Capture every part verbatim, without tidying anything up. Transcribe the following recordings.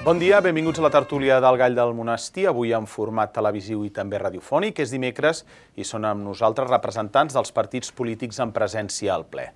Bon dia, benvinguts a la tertúlia del Gall del Monestir, avui en format televisiu i també radiofònic. És dimecres i són amb nosaltres representants dels partits polítics en presència al ple.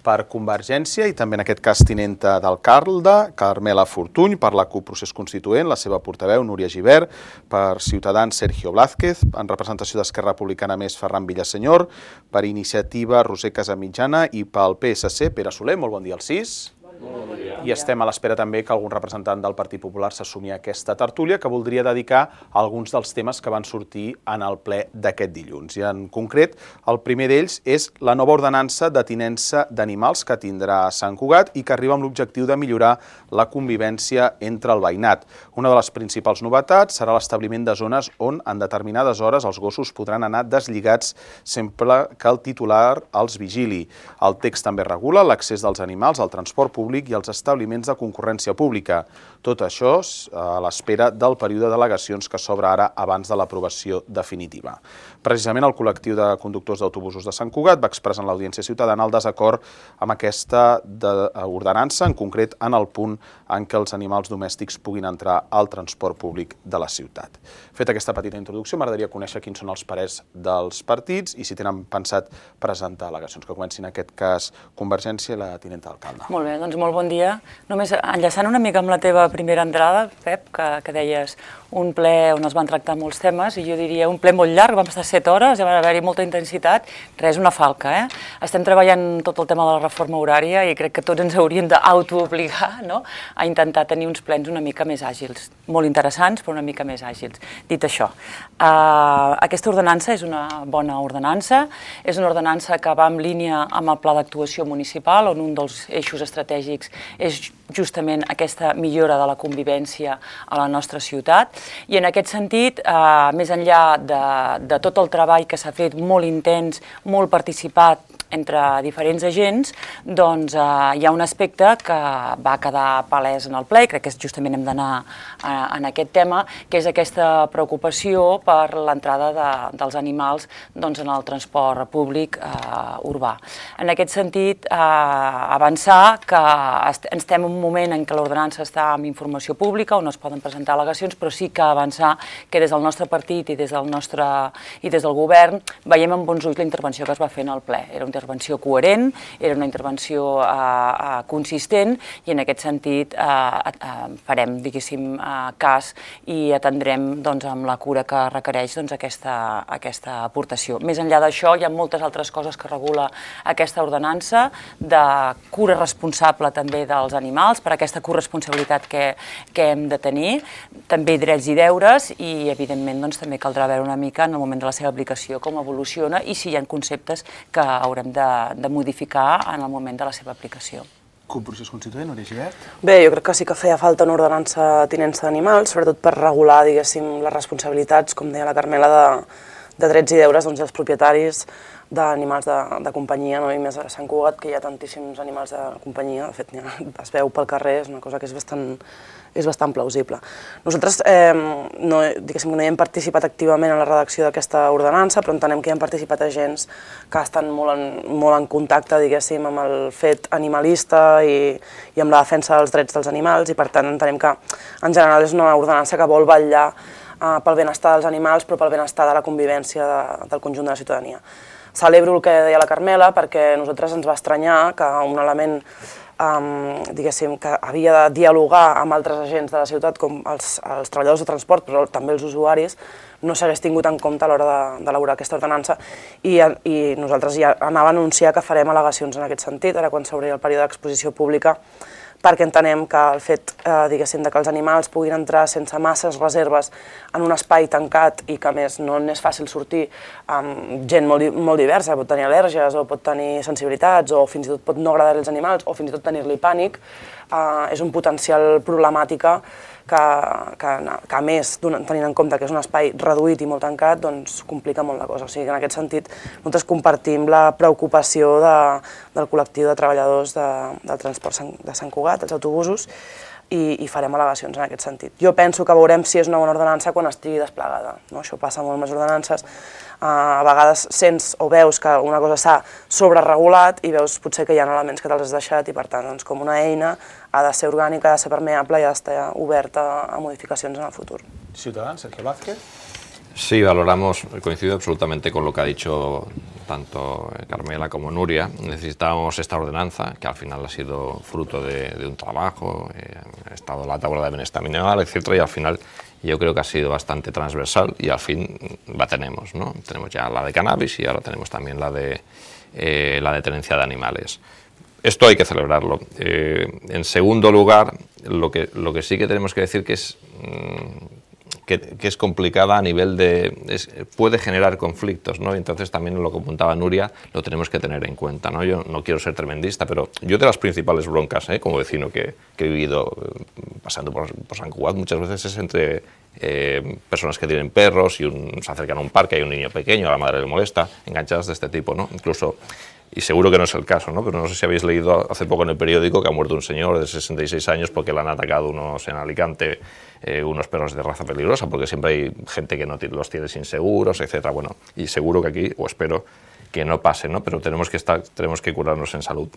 Per Convergència i també en aquest cas tinenta d'alcalde, Carmela Fortuny, per la CUP Procés Constituent, la seva portaveu, Núria Gibert, per Ciutadans, Sergio Blázquez, en representació d'Esquerra Republicana Més, Ferran Villasenyor, per Iniciativa, Roser Casamitjana i pel P S C, Pere Soler. Molt bon dia als sis. Bon dia. I estem a l'espera també que algun representant del Partit Popular s'assumi a aquesta tertúlia que voldria dedicar a alguns dels temes que van sortir en el ple d'aquest dilluns. I en concret, el primer d'ells és la nova ordenança de tinença d'animals que tindrà Sant Cugat i que arriba amb l'objectiu de millorar la convivència entre el veïnat. Una de les principals novetats serà l'establiment de zones on en determinades hores els gossos podran anar deslligats sempre que el titular els vigili. El text també regula l'accés dels animals al transport públic i als establiments de concurrència pública. Tot això a l'espera del període de al·legacions que s'obre ara abans de l'aprovació definitiva. Precisament el col·lectiu de conductors d'autobusos de Sant Cugat va expressar en l'audiència ciutadana el desacord amb aquesta ordenança, en concret en el punt en què els animals domèstics puguin entrar al transport públic de la ciutat. Feta aquesta petita introducció, m'agradaria conèixer quins són els parers dels partits i si tenen pensat presentar al·legacions, que comencin en aquest cas Convergència i la tinenta d'alcalde. Molt bé, doncs molt bon dia. Només enllaçant una mica amb la teva primera entrada, Pep, que, que deies un ple on es van tractar molts temes, i jo diria un ple molt llarg, vam estar set hores, va haver-hi molta intensitat, res, una falca, eh? Estem treballant tot el tema de la reforma horària i crec que tots ens hauríem d'autoobligar, no?, a intentar tenir uns plens una mica més àgils, molt interessants, però una mica més àgils. Dit això, uh, aquesta ordenança és una bona ordenança, és una ordenança que va en línia amb el pla d'actuació municipal, on un dels eixos estratègics és justament aquesta millora de la convivència a la nostra ciutat. I en aquest sentit, eh, més enllà de, de tot el treball que s'ha fet molt intens, molt participat entre diferents agents, doncs eh, hi ha un aspecte que va quedar palès en el ple, i crec que justament hem d'anar eh, en aquest tema, que és aquesta preocupació per l'entrada de, dels animals doncs, en el transport públic eh, urbà. En aquest sentit, eh, avançar que est estem en un moment en què l'ordenança està amb informació pública, on es poden presentar al·legacions, però sí que avançar que des del nostre partit i des del nostre i des del govern veiem amb bons ulls la intervenció que es va fer en el ple. Era una intervenció coherent, era una intervenció eh, eh, consistent i en aquest sentit eh, eh, farem, diguéssim, eh, cas i atendrem doncs, amb la cura que requereix doncs, aquesta, aquesta aportació. Més enllà d'això, hi ha moltes altres coses que regula aquesta ordenança, de cura responsable també dels animals, per aquesta corresponsabilitat que, que hem de tenir, també drets i deures i, evidentment, doncs, també caldrà veure una mica en el moment de la seva aplicació com evoluciona i si hi ha conceptes que haurem de, de modificar en el moment de la seva aplicació. CUP Procés Constituent, Núria Gibert? Bé, jo crec que sí que feia falta una ordenança de tinença d'animals, sobretot per regular, diguéssim, les responsabilitats, com deia la Carmela, de, de drets i deures doncs, dels propietaris d'animals de, de companyia, no? I més a Sant Cugat, que hi ha tantíssims animals de companyia, de fet, es veu pel carrer, és una cosa que és bastant, és bastant plausible. Nosaltres, eh, no, diguéssim que no hi hem participat activament en la redacció d'aquesta ordenança, però entenem que hi han participat agents que estan molt en, molt en contacte, diguéssim, amb el fet animalista i, i amb la defensa dels drets dels animals, i per tant entenem que, en general, és una ordenança que vol vetllar eh, pel benestar dels animals, però pel benestar de la convivència de, del conjunt de la ciutadania. Celebro el que deia la Carmela perquè a nosaltres ens va estranyar que un element um, diguéssim, que havia de dialogar amb altres agents de la ciutat, com els, els treballadors de transport, però també els usuaris, no s'hagués tingut en compte a l'hora d'elaborar aquesta ordenança i, i nosaltres ja anava a anunciar que farem al·legacions en aquest sentit, ara quan s'obri el període d'exposició pública, perquè entenem que el fet eh, diguéssim, de que els animals puguin entrar sense masses reserves en un espai tancat i que a més no n'és fàcil sortir amb gent molt, molt diversa, pot tenir al·lèrgies o pot tenir sensibilitats o fins i tot pot no agradar als animals o fins i tot tenir-li pànic, eh, és un potencial problemàtica que, que, que a més, tenint en compte que és un espai reduït i molt tancat, doncs complica molt la cosa. O sigui que en aquest sentit nosaltres compartim la preocupació de, del col·lectiu de treballadors de, del transport de Sant Cugat, dels autobusos, i, i farem al·legacions en aquest sentit. Jo penso que veurem si és una bona ordenança quan estigui desplegada, no? Això passa molt amb les ordenances. a vegades sents o veus que una cosa s'ha sobreregulat i veus potser que hi ha elements que te'ls has deixat i per tant doncs, com una eina ha de ser orgànica, ha de ser permeable i ha d'estar oberta a modificacions en el futur. Ciutadans, Sergio Vázquez. Sí, valoramos, coincido absolutamente con lo que ha dicho tanto Carmela como Nuria. Necesitábamos esta ordenanza, que al final ha sido fruto de, de un trabajo, eh, ha estado la tabla de bienestar minimal, etcétera, y al final yo creo que ha sido bastante transversal y al fin la tenemos, ¿no? Tenemos ya la de cannabis y ahora tenemos también la de, eh, la de tenencia de animales. Esto hay que celebrarlo. Eh, en segundo lugar, lo que, lo que sí que tenemos que decir que es... Mmm, Que, que es complicada a nivel de... Es, puede generar conflictos, ¿no? Y entonces también lo que apuntaba Nuria lo tenemos que tener en cuenta, ¿no? Yo no quiero ser tremendista, pero yo de las principales broncas, ¿eh? Como vecino que, que he vivido eh, pasando por, por San Cugat, muchas veces es entre eh, personas que tienen perros y un, se acercan a un parque, hay un niño pequeño, a la madre le molesta, enganchadas de este tipo, ¿no? Incluso... Y seguro que no es el caso, ¿no? Pero no sé si habéis leído hace poco en el periódico que ha muerto un señor de sesenta y seis años porque le han atacado unos en Alicante, eh, unos perros de raza peligrosa, porque siempre hay gente que no los tiene sin seguros, etcétera. Bueno, y seguro que aquí, o espero que no pase, ¿no? Pero tenemos que, estar, tenemos que curarnos en salud.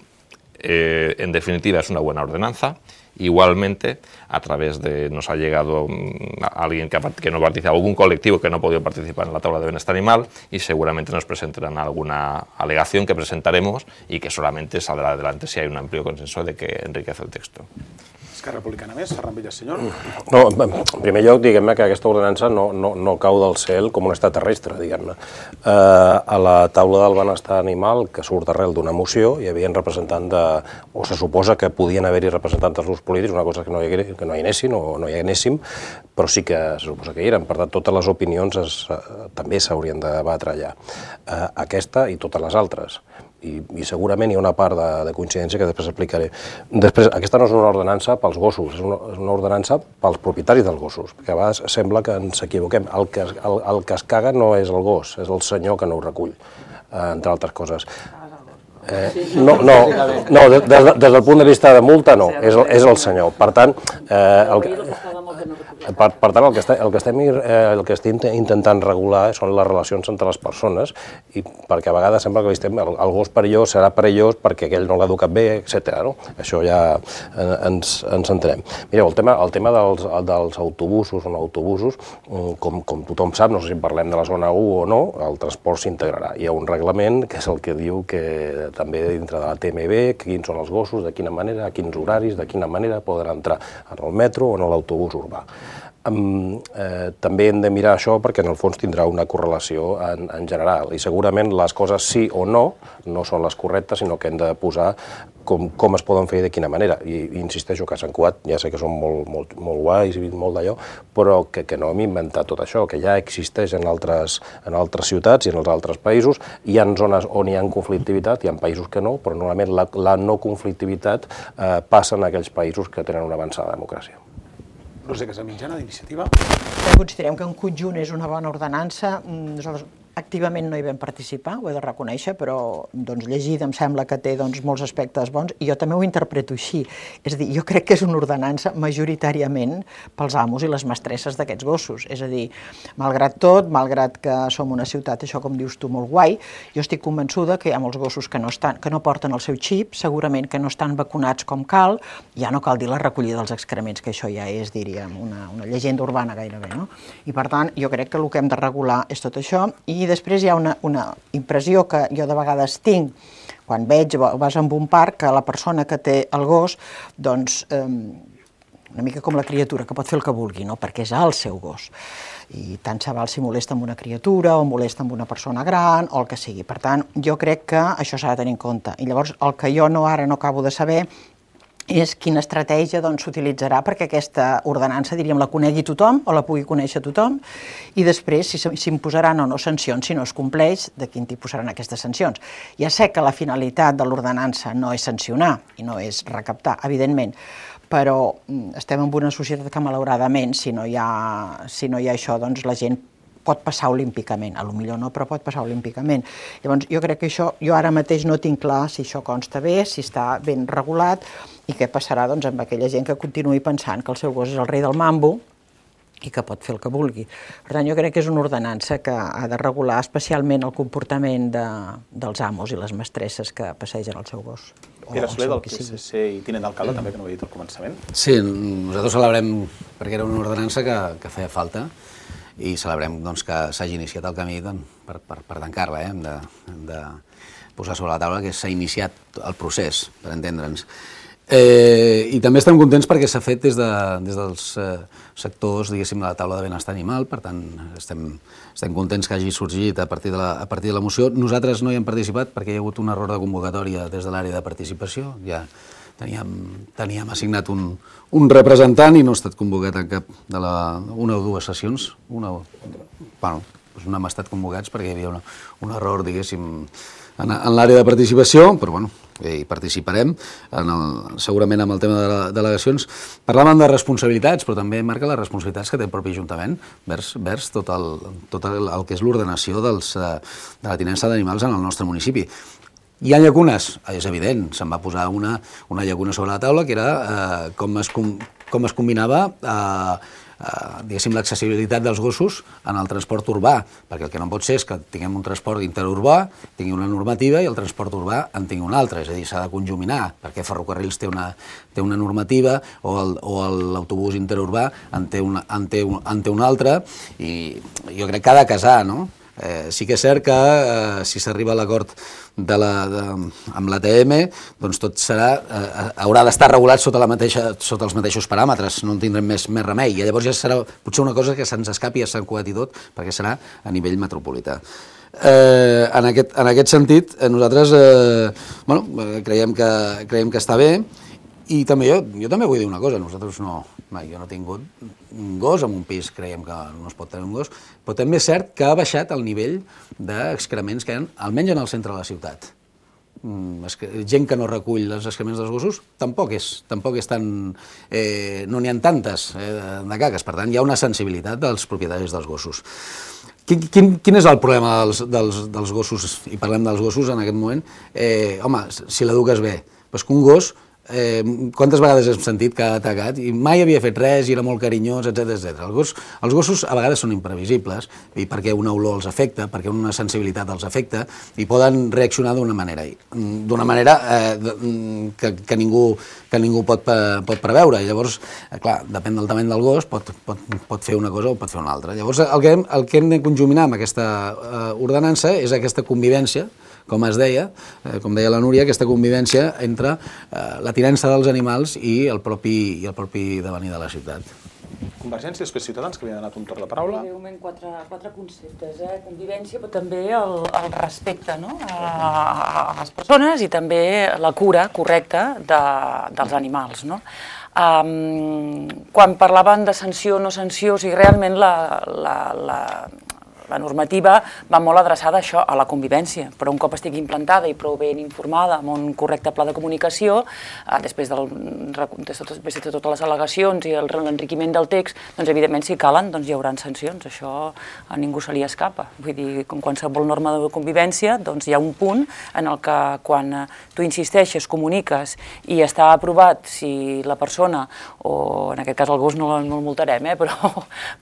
Eh, en definitiva, es una buena ordenanza. Igualmente, a través de, nos ha llegado alguien que, que no participa, algún colectivo que no ha podido participar en la tabla de bienestar animal y seguramente nos presentarán alguna alegación que presentaremos y que solamente saldrá adelante si hay un amplio consenso de que enriquece el texto. Esquerra Republicana més, Ferran Villasenyor. No, en primer lloc, diguem-ne que aquesta ordenança no, no, no cau del cel com un extraterrestre, diguem-ne. Eh, a la taula del benestar animal, que surt arrel d'una moció, hi havia representants de... o se suposa que podien haver-hi representants dels grups polítics, una cosa que no hi, que no hi anessin o no hi anéssim, però sí que se suposa que hi eren. Per tant, totes les opinions es, eh, també s'haurien de debatre allà. Eh, aquesta i totes les altres. I, i segurament hi ha una part de, de coincidència que després explicaré. Després, aquesta no és una ordenança pels gossos, és una, és una ordenança pels propietaris dels gossos, perquè a vegades sembla que ens equivoquem. El que, el, el que es caga no és el gos, és el senyor que no ho recull, eh, entre altres coses. Eh, no, no, no des, des, des del punt de vista de multa no, és, és el senyor. Per tant, eh, el que, per, per tant el, que estem, el, que estem, eh, el que estem intentant regular són les relacions entre les persones, i perquè a vegades sembla que estem, el, el gos perillós serà perillós perquè aquell no l'ha educat bé, etcètera. No? Això ja eh, ens, ens entenem. Mireu, el tema, el tema dels, dels autobusos o no autobusos, com, com tothom sap, no sé si parlem de la zona u o no, el transport s'integrarà. Hi ha un reglament que és el que diu que també dintre de la T M B, quins són els gossos, de quina manera, a quins horaris, de quina manera poden entrar en el metro o en l'autobús urbà. Um, eh, també hem de mirar això perquè en el fons tindrà una correlació en, en general i segurament les coses sí o no no són les correctes, sinó que hem de posar com, com es poden fer i de quina manera. I, i insisteixo que a Sant Cugat ja sé que són molt, molt, molt guais i molt d'allò, però que, que no hem inventat tot això, que ja existeix en altres, en altres ciutats i en els altres països. Hi ha zones on hi ha conflictivitat, hi ha països que no, però normalment la, la no conflictivitat eh, passa en aquells països que tenen una avançada democràcia. Roser Casamitjana, d'Iniciativa. Considerem que en conjunt és una bona ordenança. Nosaltres activament no hi vam participar, ho he de reconèixer, però doncs, llegida em sembla que té doncs, molts aspectes bons i jo també ho interpreto així. És a dir, jo crec que és una ordenança majoritàriament pels amos i les mestresses d'aquests gossos. És a dir, malgrat tot, malgrat que som una ciutat, això com dius tu, molt guai, jo estic convençuda que hi ha molts gossos que no, estan, que no porten el seu xip, segurament que no estan vacunats com cal, ja no cal dir la recollida dels excrements, que això ja és, diríem, una, una llegenda urbana gairebé, no? I per tant, jo crec que el que hem de regular és tot això. I I després hi ha una, una impressió que jo de vegades tinc, quan veig, vas en un parc, que la persona que té el gos, doncs, eh, una mica com la criatura, que pot fer el que vulgui, no? Perquè és el seu gos. I tant se val si molesta amb una criatura o molesta amb una persona gran o el que sigui. Per tant, jo crec que això s'ha de tenir en compte. I llavors, el que jo no ara no acabo de saber és quina estratègia s'utilitzarà perquè aquesta ordenança, diríem, la conegui tothom o la pugui conèixer tothom i després si s'imposaran o no sancions si no es compleix, de quin tipus seran aquestes sancions. Ja sé que la finalitat de l'ordenança no és sancionar i no és recaptar, evidentment, però estem en una societat que malauradament, si no hi ha, si no hi ha això, doncs la gent pot passar olímpicament, a lo millor no, però pot passar olímpicament. Llavors, jo crec que això, jo ara mateix no tinc clar si això consta bé, si està ben regulat, i què passarà doncs, amb aquella gent que continuï pensant que el seu gos és el rei del mambo i que pot fer el que vulgui. Per tant, jo crec que és una ordenança que ha de regular especialment el comportament de, dels amos i les mestresses que passegen el seu gos. Pere Soler, del P S C i tinent d'alcalde, també, que no ho he dit al començament. Sí, nosaltres celebrem, perquè era una ordenança que, que feia falta, i celebrem doncs, que s'hagi iniciat el camí doncs, per, per, per tancar-la. Eh? Hem, de, hem de posar sobre la taula que s'ha iniciat el procés, per entendre'ns. Eh, I també estem contents perquè s'ha fet des, de, des dels eh, sectors, diguéssim, de la taula de benestar animal, per tant, estem, estem contents que hagi sorgit a partir, de la, a partir de la moció. Nosaltres no hi hem participat perquè hi ha hagut un error de convocatòria des de l'àrea de participació. Ja teníem, teníem assignat un, un representant i no ha estat convocat en cap de la, una o dues sessions. Una, bueno, doncs no hem estat convocats perquè hi havia una, un error, diguéssim, en, en l'àrea de participació, però bueno, hi participarem, en el, segurament amb el tema de les delegacions. Parlàvem de responsabilitats, però també marca les responsabilitats que té el propi Ajuntament vers, vers tot, el, tot el, el que és l'ordenació de la tinença d'animals en el nostre municipi. Hi ha llacunes, és evident, se'n va posar una, una llacuna sobre la taula, que era eh, com, es, com, com es combinava eh, Uh, diguéssim, l'accessibilitat dels gossos en el transport urbà, perquè el que no pot ser és que tinguem un transport interurbà, tingui una normativa i el transport urbà en tingui una altra, és a dir, s'ha de conjuminar, perquè Ferrocarrils té una, té una normativa o l'autobús interurbà en té, una, en, té un, en té una altra, i jo crec que ha de casar, no? Eh, sí que és cert que eh, si s'arriba a l'acord de la, de, amb l'A T M, doncs tot serà, eh, haurà d'estar regulat sota, la mateixa, sota els mateixos paràmetres, no en tindrem més, més remei, i llavors ja serà potser una cosa que se'ns escapi a Sant Cugat i tot, perquè serà a nivell metropolità. Eh, en, aquest, en aquest sentit, eh, nosaltres eh, bueno, creiem, que, creiem que està bé, i també jo, jo també vull dir una cosa, nosaltres no, mai, jo no he tingut un gos, en un pis creiem que no es pot tenir un gos, però també és cert que ha baixat el nivell d'excrements que hi ha, almenys en el centre de la ciutat. Mm, gent que no recull els excrements dels gossos tampoc és, tampoc és tan, eh, no n'hi ha tantes eh, de caques, per tant hi ha una sensibilitat dels propietaris dels gossos. Quin, quin, quin és el problema dels, dels, dels gossos, i parlem dels gossos en aquest moment? Eh, home, si l'eduques bé, doncs que un gos, Eh, quantes vegades hem sentit que ha atacat i mai havia fet res i era molt carinyós, etcètera etcètera. Els, gos, els gossos a vegades són imprevisibles i perquè una olor els afecta, perquè una sensibilitat els afecta i poden reaccionar d'una manera, d'una manera eh, que, que ningú, que ningú pot, pot preveure. I llavors, eh, clar, depèn del tamany del gos, pot, pot, pot fer una cosa o pot fer una altra. Llavors, el que hem, el que hem de conjuminar amb aquesta eh, ordenança és aquesta convivència, com es deia, eh, com deia la Núria, aquesta convivència entre eh, la tinença dels animals i el propi, i el propi devenir de la ciutat. Convergència, després Ciutadans, que li ha donat un torn de paraula. Breument, quatre, quatre conceptes, eh? Convivència, però també el, el respecte, no? a, a les persones i també la cura correcta de, dels animals, no? Um, quan parlaven de sanció o no sanció, o sigui, realment la, la, la, la normativa va molt adreçada a això, a la convivència, però un cop estigui implantada i prou ben informada amb un correcte pla de comunicació, eh, després, del, després de totes les al·legacions i l'enriquiment del text, doncs evidentment si calen doncs hi haurà sancions, això a ningú se li escapa. Vull dir, com qualsevol norma de convivència, doncs hi ha un punt en el que quan tu insisteixes, comuniques i està aprovat si la persona, o en aquest cas el gos no, no el multarem, eh, però,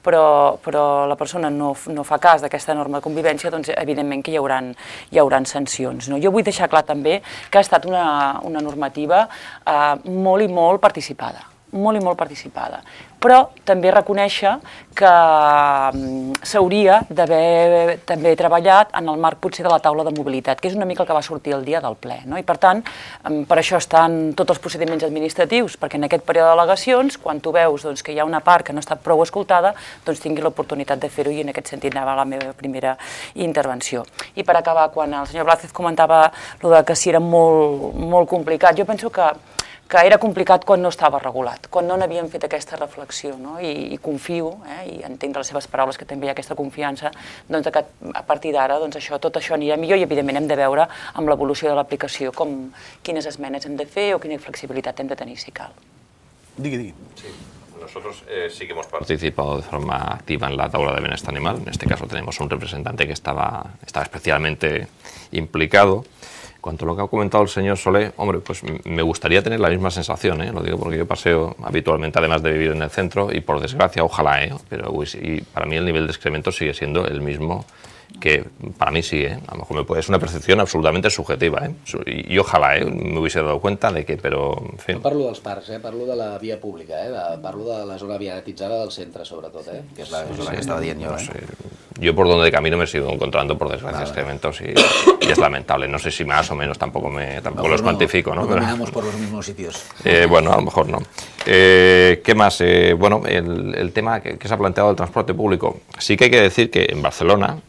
però, però la persona no, no fa cas d'aquesta norma de convivència, doncs evidentment que hi haurà, hi haurà sancions. No? Jo vull deixar clar també que ha estat una, una normativa eh, molt i molt participada, molt i molt participada, però també reconèixer que s'hauria d'haver també treballat en el marc potser de la taula de mobilitat, que és una mica el que va sortir el dia del ple, no? I per tant, per això estan tots els procediments administratius, perquè en aquest període d'al·legacions, quan tu veus doncs, que hi ha una part que no ha estat prou escoltada, doncs tingui l'oportunitat de fer-ho, i en aquest sentit anava la meva primera intervenció. I per acabar, quan el senyor Blázquez comentava lo de que si era molt, molt complicat, jo penso que que era complicat quan no estava regulat, quan no n'havíem fet aquesta reflexió, no? I, i confio, eh, i entenc de les seves paraules que també hi ha aquesta confiança, doncs que a partir d'ara doncs això, tot això anirà millor, i evidentment hem de veure amb l'evolució de l'aplicació com quines esmenes hem de fer o quina flexibilitat hem de tenir si cal. Digui, digui. Sí. Nosotros eh, sí que hemos participado de forma activa en la tabla de bienestar animal. En este caso tenemos un representante que estaba, estaba especialmente implicado. cuanto a lo que ha comentado el señor Solé, hombre, pues me gustaría tener la misma sensación, ¿eh? Lo digo porque yo paseo habitualmente, además de vivir en el centro, y por desgracia, ojalá, ¿eh? Pero uy, y para mí el nivel de excremento sigue siendo el mismo que para mí sí, ¿eh? A lo mejor me puede, es una percepción absolutamente subjetiva, ¿eh? I, i ojalà, eh? Me hubiese dado cuenta de que, però, en fi... No parlo dels parcs, eh? Parlo de la via pública, eh? De, parlo de la zona viatitzada del centre, sobretot, eh? Que és la zona sí, que estava dient jo, no eh? sé. Yo por donde camino me sigo encontrando, por desgracia, vale. excrementos y, y es lamentable. No sé si más o menos, tampoco, me, tampoco los no, cuantifico, ¿no? No caminamos por los mismos sitios. Eh, bueno, a lo mejor no. Eh, ¿Qué más? Eh, bueno, el, el tema que, que se ha planteado del transporte público. Sí que hay que decir que en Barcelona,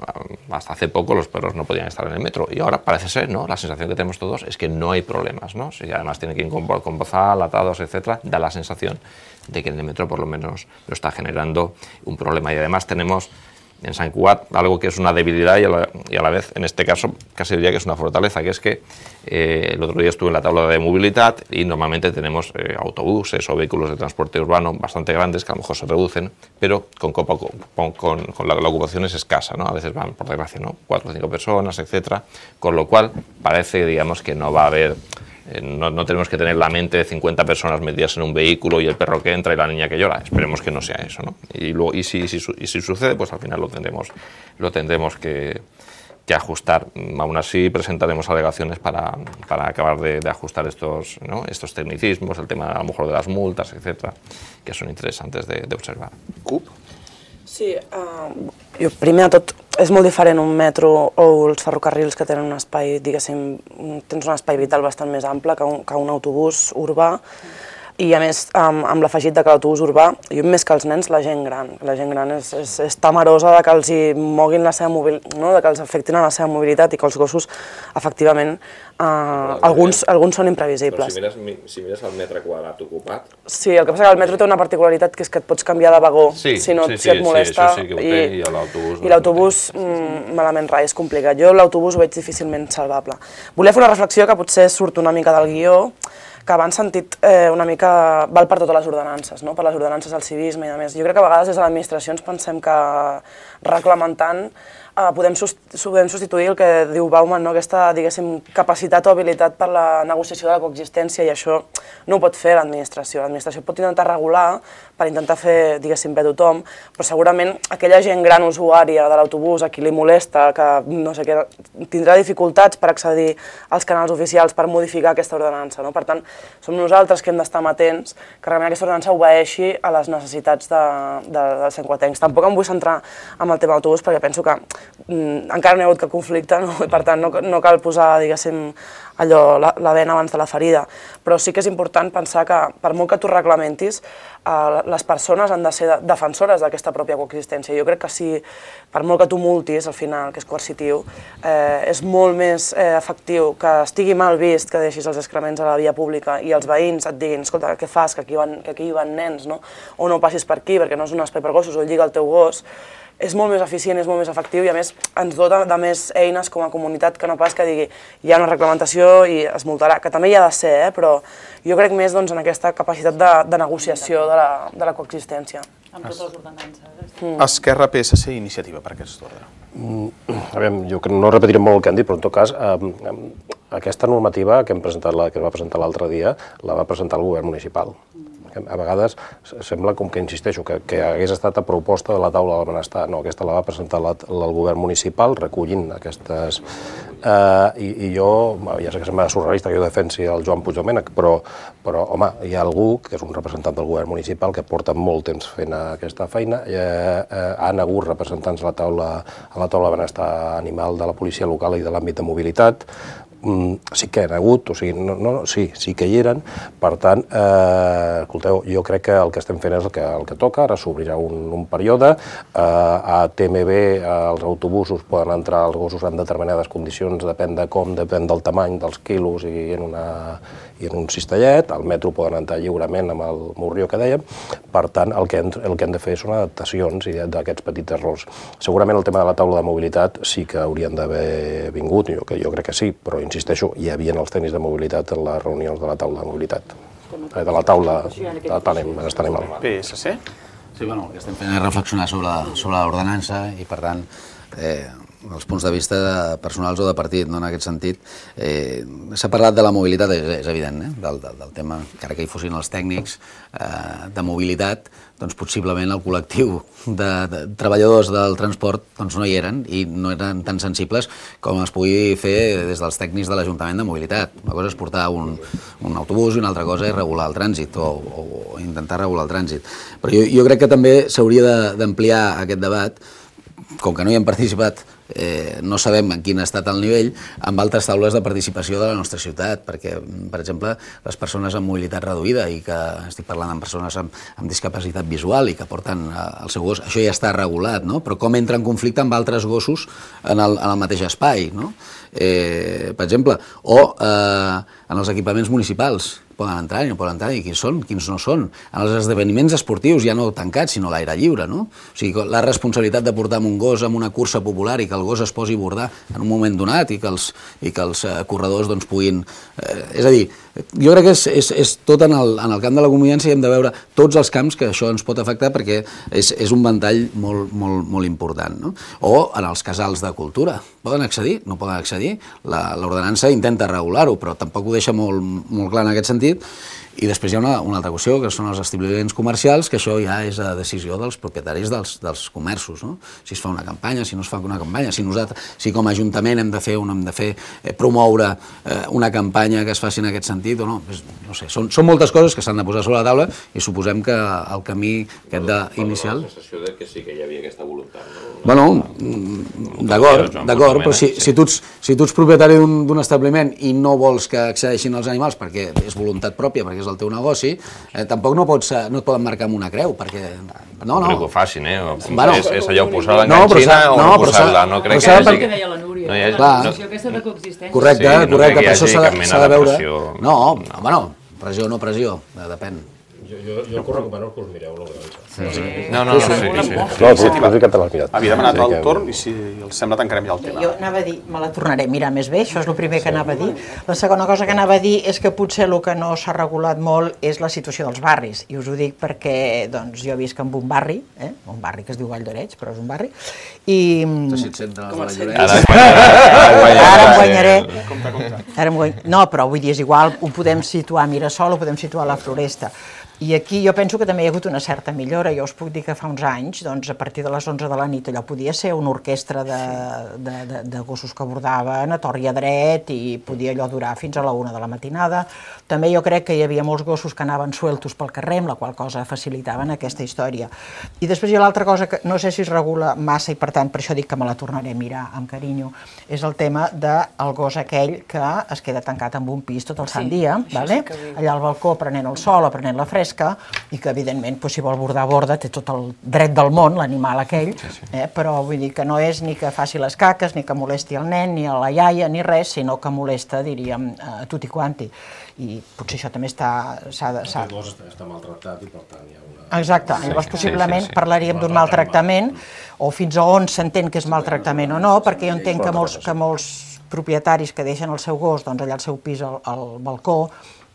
hasta hace poco, los perros no podían estar en el metro. Y ahora parece ser, ¿no? La sensación que tenemos todos es que no hay problemas, ¿no? Si además tienen que ir con, con bozal, atados, etcétera, da la sensación de que en el metro por lo menos lo está generando un problema. Y además tenemos en Sant Cugat algo que es una debilidad y a, la, y a la vez, en este caso, casi diría que es una fortaleza, que es que eh, el otro día estuve en la tabla de movilidad y normalmente tenemos eh, autobuses o vehículos de transporte urbano bastante grandes que a lo mejor se reducen, pero con, con, con, con la, la ocupación es escasa, ¿no? A veces van, por desgracia, ¿no? Cuatro o cinco personas, etcétera, con lo cual parece, digamos, que no va a haber... Eh, no, no tenemos que tener la mente de cincuenta personas metidas en un vehículo y el perro que entra y la niña que llora. Esperemos que no sea eso, ¿no? Y, luego, y, si, si, y si sucede, pues al final lo tendremos, lo tendremos que, que ajustar. Aún así, presentaremos alegaciones para, para acabar de, de ajustar estos, ¿no? estos tecnicismos, el tema a lo mejor de las multas, etcétera, que son interesantes de, de observar. CUP? Sí, uh, jo, primer de tot, és molt diferent un metro o els ferrocarrils que tenen un espai, diguéssim, tens un espai vital bastant més ample que un, que un autobús urbà, i a més amb, amb l'afegit de que l'autobús urbà, jo més que els nens, la gent gran. La gent gran és, és, és temerosa de que els hi moguin la seva mobilitat, no? De que els afectin a la seva mobilitat i que els gossos, efectivament, eh, alguns, alguns són imprevisibles. Però si mires, si mires el metre quadrat ocupat... Sí, el que passa que el metro té una particularitat que és que et pots canviar de vagó sí, si, no, sí, si et molesta. Sí, sí, té, i, i l'autobús... I l'autobús, mm, malament rai, és complicat. Jo l'autobús ho veig difícilment salvable. Volia fer una reflexió que potser surt una mica del guió, que abans sentit eh, una mica val per totes les ordenances, no? Per les ordenances del civisme i a més. Jo crec que a vegades des de l'administració ens pensem que reglamentant eh, podem, podem substituir el que diu Bauman, no? Aquesta, diguéssim, capacitat o habilitat per la negociació de la coexistència, i això no ho pot fer l'administració. L'administració pot intentar regular per intentar fer, diguéssim, bé tothom, però segurament aquella gent gran usuària de l'autobús a qui li molesta, que no sé què, tindrà dificultats per accedir als canals oficials per modificar aquesta ordenança, no? Per tant, som nosaltres que hem d'estar amatents que realment aquesta ordenança obeeixi a les necessitats de, de, dels santcuatencs. Tampoc em vull centrar en el tema d'autobús perquè penso que mm, encara no hi ha hagut cap conflicte, no? I per tant no, no cal posar, diguéssim, allò, la, la vena abans de la ferida, però sí que és important pensar que per molt que tu reglamentis, eh, les persones han de ser de, defensores d'aquesta pròpia coexistència. Jo crec que si, per molt que tu multis, al final, que és coercitiu, eh, és molt més eh, efectiu que estigui mal vist que deixis els excrements a la via pública i els veïns et diguin, escolta, què fas, que aquí van, que aquí hi van nens, no? O no passis per aquí perquè no és un espai per gossos, o lliga el teu gos. És molt més eficient, és molt més efectiu i a més ens dota de més eines com a comunitat que no pas que digui hi ha una reglamentació i es multarà, que també hi ha de ser, eh? Però jo crec més doncs, en aquesta capacitat de, de negociació de la, de la coexistència. Amb totes les ordenances. Mm. Esquerra, P S C i Iniciativa per aquest ordre. Mm, a veure, jo no repetiré molt el que han dit, però en tot cas, eh, aquesta normativa que hem presentat, la, que es va presentar l'altre dia, la va presentar el govern municipal. A vegades sembla com que, insisteixo, que, que hagués estat a proposta de la taula del benestar. No, aquesta la va presentar la, el govern municipal recollint aquestes... Eh, i, I jo, ja sé que sembla surrealista que jo defensi el Joan Puigdomènech, però, però, home, hi ha algú que és un representant del govern municipal que porta molt temps fent aquesta feina. Eh, eh, han hagut representants a la taula, a la taula de benestar animal de la policia local i de l'àmbit de mobilitat. Sí que hi ha hagut, o sigui, no, no, sí, sí que hi eren, per tant, eh, escolteu, jo crec que el que estem fent és el que, el que toca, ara s'obrirà un, un període, eh, a T M B eh, els autobusos poden entrar els gossos en determinades condicions, depèn de com, depèn del tamany, dels quilos i en, una, i en un cistellet, al metro poden entrar lliurement amb el morrió que dèiem, per tant, el que, hem, el que hem de fer són adaptacions d'aquests petits errors. Segurament el tema de la taula de mobilitat sí que haurien d'haver vingut, jo, jo crec que sí, però insisteixo, hi havia els tècnics de mobilitat en les reunions de la taula de mobilitat, de la taula de benestar animal. P S C? Sí, bueno, el que estem fent és reflexionar sobre, sobre l'ordenança i, per tant, eh, els punts de vista personals o de partit, no en aquest sentit. Eh, S'ha parlat de la mobilitat, és, és evident, eh? del, del, del tema, encara que hi fossin els tècnics, eh, de mobilitat, doncs possiblement el col·lectiu de, de treballadors del transport doncs no hi eren i no eren tan sensibles com es pugui fer des dels tècnics de l'Ajuntament de Mobilitat. Una cosa és portar un, un autobús i una altra cosa és regular el trànsit o, o, o intentar regular el trànsit. Però jo, jo crec que també s'hauria d'ampliar aquest debat, com que no hi hem participat, eh, no sabem en quin ha estat el nivell, amb altres taules de participació de la nostra ciutat, perquè, per exemple, les persones amb mobilitat reduïda, i que estic parlant amb persones amb, amb discapacitat visual i que porten eh, el seu gos, això ja està regulat, no? Però com entra en conflicte amb altres gossos en el, en el mateix espai, no? Eh, per exemple, o eh, en els equipaments municipals, poden entrar i no poden entrar, i quins són, quins no són. En els esdeveniments esportius, ja no tancats, sinó a l'aire lliure, no? O sigui, la responsabilitat de portar amb un gos en una cursa popular i que el gos es posi a bordar en un moment donat i que els, i que els eh, corredors doncs, puguin... Eh, és a dir, jo crec que és, és, és tot en el, en el camp de la convivència i hem de veure tots els camps que això ens pot afectar perquè és, és un ventall molt, molt, molt important, no? O en els casals de cultura. Poden accedir? No poden accedir? L'ordenança intenta regular-ho, però tampoc ho deixa molt, molt clar en aquest sentit. I després hi ha una, una altra qüestió, que són els establiments comercials, que això ja és a decisió dels propietaris dels, dels comerços, no? Si es fa una campanya, si no es fa una campanya, si nosaltres, si com a Ajuntament hem de fer, hem de fer eh, promoure eh, una campanya que es faci en aquest sentit o no, és, no sé, són, són moltes coses que s'han de posar sobre la taula i suposem que el camí aquest d'inicial... La sensació de que sí que hi havia aquesta voluntat, no? Bueno, d'acord, d'acord, però si, si, tu ets, si tu ets propietari d'un establiment i no vols que accedeixin els animals perquè és voluntat pròpia, perquè és el teu negoci, eh, tampoc no, pots, no et poden marcar amb una creu, perquè... No, no. Però que ho facin, eh? Bueno, és, és allò posar la no, enganxina o no, no posar-la, no crec que hi hagi... El que deia la Núria, no hi hagi, la no. posició aquesta de coexistència. Correcte, Sí, no correcte, crec que per això hi hagi s'ha cap de, mena s'ha de de veure... pressió. No, bueno, pressió o no pressió, depèn. Jo, jo, jo us recomano que us mireu l'ordenança. Sí. No, no, no, sí, sí. sí. No, tu, tu sí que te l'has mirat. Havia demanat Sí el que- torn i si els sembla tancarem ja el tema. Jo anava a dir, me la tornaré a mirar més bé, això és el primer que anava a dir. La segona cosa que anava a dir és que potser el que no s'ha regulat molt és la situació dels barris, i us ho dic perquè doncs, jo visc en un barri, eh? un barri que es diu Vall d'Oreig, però és un barri, i... Ara, Ara em guanyaré. Ara em guany... No, però vull dir, és igual, ho podem situar a Mirasol, ho podem situar a la Floresta. I aquí jo penso que també hi ha hagut una certa millora. Jo us puc dir que fa uns anys, doncs, a partir de les onze de la nit, allò podia ser una orquestra de, de, de, de gossos que abordaven a tort i a dret i podia allò durar fins a la una de la matinada. També jo crec que hi havia molts gossos que anaven sueltos pel carrer, amb la qual cosa facilitaven aquesta història. I després hi ha l'altra cosa que no sé si es regula massa i per tant per això dic que me la tornaré a mirar amb carinyo, és el tema del gos aquell que es queda tancat en un pis tot el sant Sí, dia, això vale? sí que vull. Allà al balcó prenent el sol o prenent la fresca, i que evidentment doncs, si vol bordar borda té tot el dret del món l'animal aquell, sí, sí. Eh? Però vull dir que no és ni que faci les caques, ni que molesti el nen, ni a la iaia, ni res, sinó que molesta, diríem, a tutti quanti. I potser això també està... s'ha de, s'ha... El gos està, està maltractat i per tant hi ha una... Exacte, llavors possiblement sí, sí. parlaríem d'un maltractament, o fins a on s'entén que és maltractament o no, perquè jo entenc que molts, que molts propietaris que deixen el seu gos doncs, allà al seu pis al, al balcó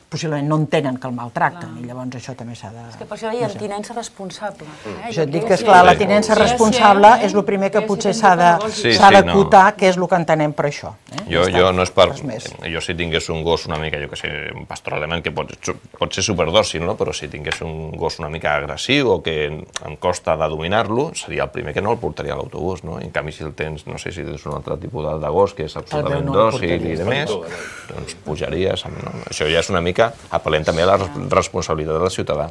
possiblement no entenen que el maltracten, i llavors això també s'ha de... És que per això deien tinença responsable. Eh? Jo et dic que, esclar, la tinença responsable és el primer que potser s'ha Sí, de sí, d'acotar, que és el que entenem per això. Eh? Jo, Ja està, jo no és per... res més. Jo si tingués un gos una mica, jo que sé, un pastor alemany que pot, pot ser superdòcil, no? Però si tingués un gos una mica agressiu o que em costa de dominar-lo, seria el primer que no el portaria a l'autobús, no? En canvi, si el tens, no sé si tens un altre tipus de, de gos que és absolutament no el dòcil i de més, doncs pujaries... No? Això ja és una mica apel·lent també a la responsabilitat del ciutadà.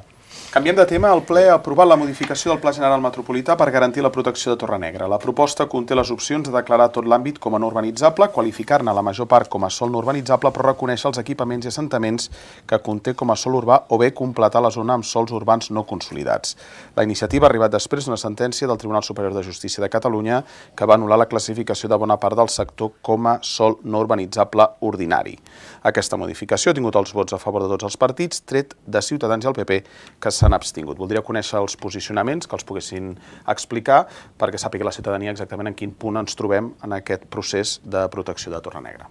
Canviem de tema. El ple ha aprovat la modificació del Pla General Metropolità per garantir la protecció de Torrenegra. La proposta conté les opcions de declarar tot l'àmbit com a no urbanitzable, qualificar-ne la major part com a sòl no urbanitzable, però reconèixer els equipaments i assentaments que conté com a sòl urbà o bé completar la zona amb sòls urbans no consolidats. La iniciativa ha arribat després d'una sentència del Tribunal Superior de Justícia de Catalunya que va anul·lar la classificació de bona part del sector com a sòl no urbanitzable ordinari. Aquesta modificació ha tingut els vots a favor de tots els partits, tret de Ciutadans i el P P, que s'han abstingut. Voldria conèixer els posicionaments, que els poguessin explicar, perquè sàpiga la ciutadania exactament en quin punt ens trobem en aquest procés de protecció de Torrenegra.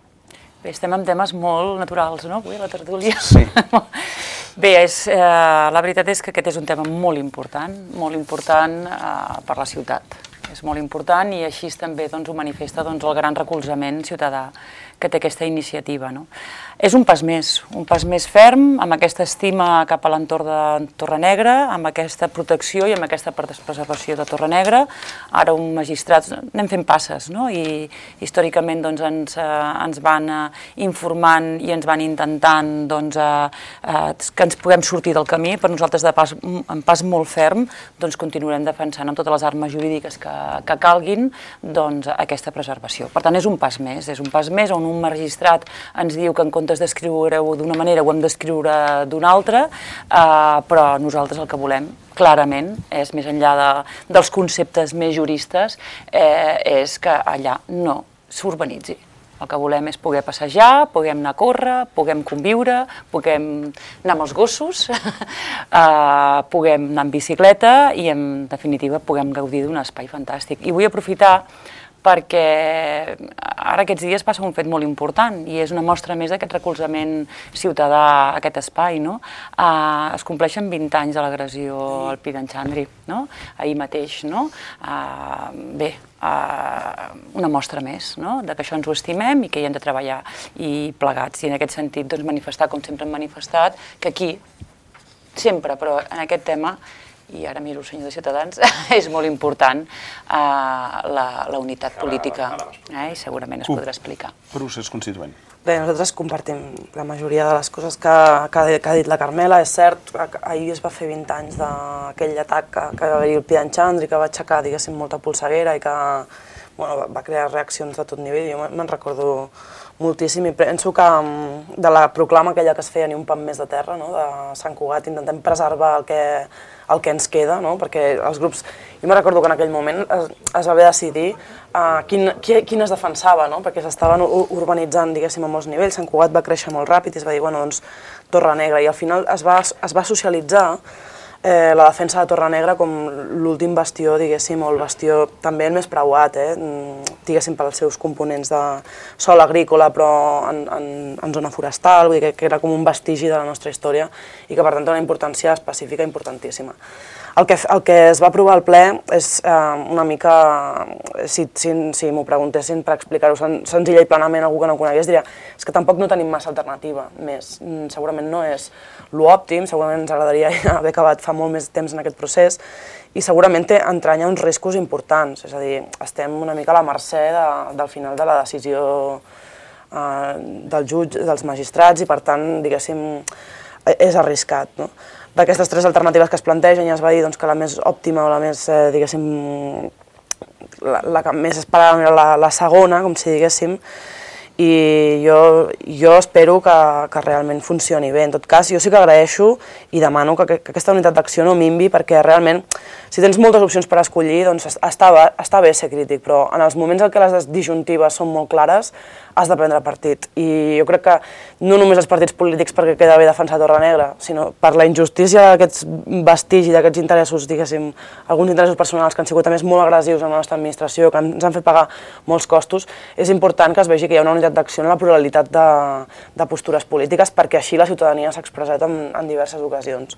Bé, estem en temes molt naturals, no?, avui a la tertúlia. Sí. Bé, és, eh, la veritat és que aquest és un tema molt important, molt important eh, per la ciutat. és molt important i així també doncs, ho manifesta doncs, el gran recolzament ciutadà que té aquesta iniciativa. No? És un pas més, un pas més ferm, amb aquesta estima cap a l'entorn de Torrenegra, amb aquesta protecció i amb aquesta preservació de Torrenegra. Ara un magistrat, anem fent passes, no? I històricament doncs, ens, eh, ens van eh, informant i ens van intentant doncs, eh, eh, que ens puguem sortir del camí. Per nosaltres, de pas, en pas molt ferm, doncs, continuarem defensant amb totes les armes jurídiques que, que calguin doncs, aquesta preservació. Per tant, és un pas més, és un pas més on un magistrat ens diu que en comptes d'escriure-ho d'una manera ho hem d'escriure d'una altra, eh, però nosaltres el que volem clarament és, més enllà de, dels conceptes més juristes, eh, és que allà no s'urbanitzi. El que volem és poder passejar, puguem anar a córrer, puguem conviure, puguem anar amb els gossos, eh, puguem anar en bicicleta i, en definitiva, puguem gaudir d'un espai fantàstic. I vull aprofitar perquè ara aquests dies passa un fet molt important i és una mostra més d'aquest recolzament ciutadà a aquest espai. No? Uh, es compleixen vint anys de l'agressió al Pi d'en Xandri, no? Ahir mateix. No? Uh, bé, uh, una mostra més, no? De que això ens ho estimem i que hi hem de treballar i plegats. I en aquest sentit doncs, manifestar, com sempre hem manifestat, que aquí, sempre, però en aquest tema, i ara miro el senyor de Ciutadans, és molt important eh, la, la unitat política, eh, i segurament es podrà explicar. Procés constituent. Bé, nosaltres compartim la majoria de les coses que, que, que ha dit la Carmela. És cert, ahir es va fer vint anys d'aquell atac que, que va haver-hi el Pi d'en Xandri, que va aixecar, diguéssim, molta polseguera i que bueno, va crear reaccions de tot nivell. Jo me'n recordo moltíssim i penso que de la proclama aquella que es feia Ni un pam més de terra, no? De Sant Cugat, intentem preservar el que, el que ens queda, no? Perquè els grups... Jo me recordo que en aquell moment es, es va haver de decidir uh, quin, qui, quin es defensava, no? Perquè s'estaven urbanitzant, diguéssim, a molts nivells. Sant Cugat va créixer molt ràpid i es va dir, bueno, doncs, Torrenegra. I al final es va, es va socialitzar Eh, la defensa de Torrenegra com l'últim bastió, diguéssim, o el bastió també el més preuat, eh, diguéssim, pels seus components de sòl agrícola, però en, en, en zona forestal, vull dir que, que era com un vestigi de la nostra història i que, per tant, té una importància específica importantíssima. El que, el que es va aprovar al ple és eh, una mica, si, si, si m'ho preguntessin per explicar-ho sen, senzilla i plenament algú que no conegués, diria és que tampoc no tenim massa alternativa més. Segurament no és l'òptim, segurament ens agradaria haver acabat fa molt més temps en aquest procés i segurament té, entranya uns riscos importants, és a dir, estem una mica a la mercè de, del final de la decisió eh, del jutge, dels magistrats i per tant, diguéssim, és arriscat, no? D'aquestes tres alternatives que es plantegen ja es va dir doncs, que la més òptima o la més, eh, diguéssim, la, la que més esperàvem era la, la segona, com si diguéssim, i jo, jo espero que, que realment funcioni bé. En tot cas, jo sí que agraeixo i demano que, que aquesta unitat d'acció no minvi perquè realment, si tens moltes opcions per escollir, doncs està, està bé ser crític, però en els moments en què les disjuntives són molt clares, has de prendre partit. I jo crec que no només els partits polítics perquè queda bé defensar Torrenegra, sinó per la injustícia d'aquests vestigis, d'aquests interessos, diguéssim, alguns interessos personals que han sigut a més molt agressius en la nostra administració, que ens han fet pagar molts costos, és important que es vegi que hi ha una unitat d'acció en la pluralitat de, de postures polítiques perquè així la ciutadania s'ha expressat en, en diverses ocasions.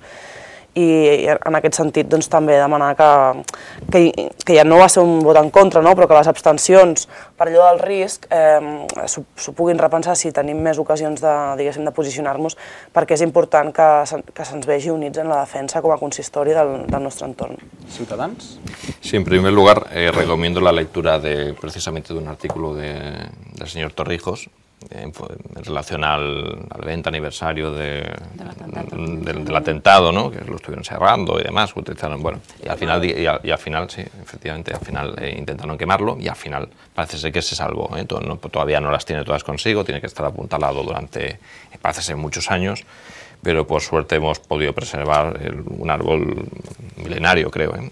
I en aquest sentit doncs, també demanar que, que, que ja no va ser un vot en contra, no? Però que les abstencions per allò del risc eh, s'ho puguin repensar si tenim més ocasions de, diguéssim, de posicionar-nos perquè és important que, que se'ns vegi units en la defensa com a consistori del, del nostre entorn. ¿Ciutadans? Sí, en primer lugar eh, recomiendo la lectura de, precisamente de un artículo de, del señor Torrijos en, en relación al, al veinte aniversario de, del, atentado. Del, del atentado, ¿no? Que lo estuvieron cerrando y demás, utilizaron, bueno, y al final, y al, y al final sí, efectivamente, al final eh, intentaron quemarlo y al final parece ser que se salvó, ¿eh? Todo, no, todavía no las tiene todas consigo, tiene que estar apuntalado durante, parece ser, muchos años, pero por suerte hemos podido preservar el, un árbol milenario, creo, ¿eh?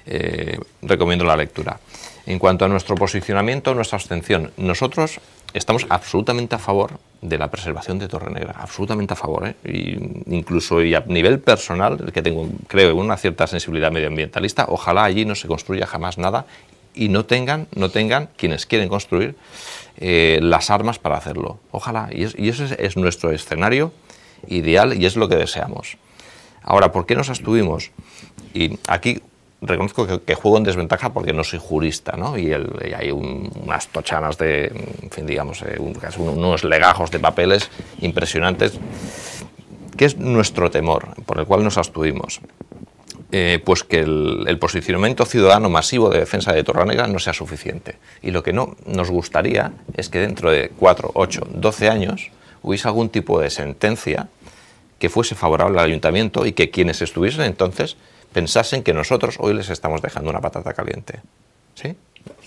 Eh, recomiendo la lectura. En cuanto a nuestro posicionamiento, nuestra abstención, nosotros estamos absolutamente a favor de la preservación de Torrenegra, absolutamente a favor, ¿eh? Y incluso y a nivel personal, que tengo, creo, una cierta sensibilidad medioambientalista, ojalá allí no se construya jamás nada y no tengan, no tengan quienes quieren construir eh, las armas para hacerlo. Ojalá, y, es, y ese es, es nuestro escenario ideal y es lo que deseamos. Ahora, ¿por qué nos abstuvimos? Y aquí reconozco que, que juego en desventaja porque no soy jurista, ¿no? Y, el, y hay un, unas tochanas de, en fin, digamos, eh, un, unos legajos de papeles impresionantes. ¿Qué es nuestro temor, por el cual nos abstuvimos? Eh, pues que el, el posicionamiento ciudadano masivo de defensa de Torrenegra no sea suficiente. Y lo que no nos gustaría es que dentro de cuatro, ocho, doce años hubiese algún tipo de sentencia que fuese favorable al ayuntamiento y que quienes estuviesen entonces pensasen que nosotros hoy les estamos dejando una patata caliente. ¿Sí?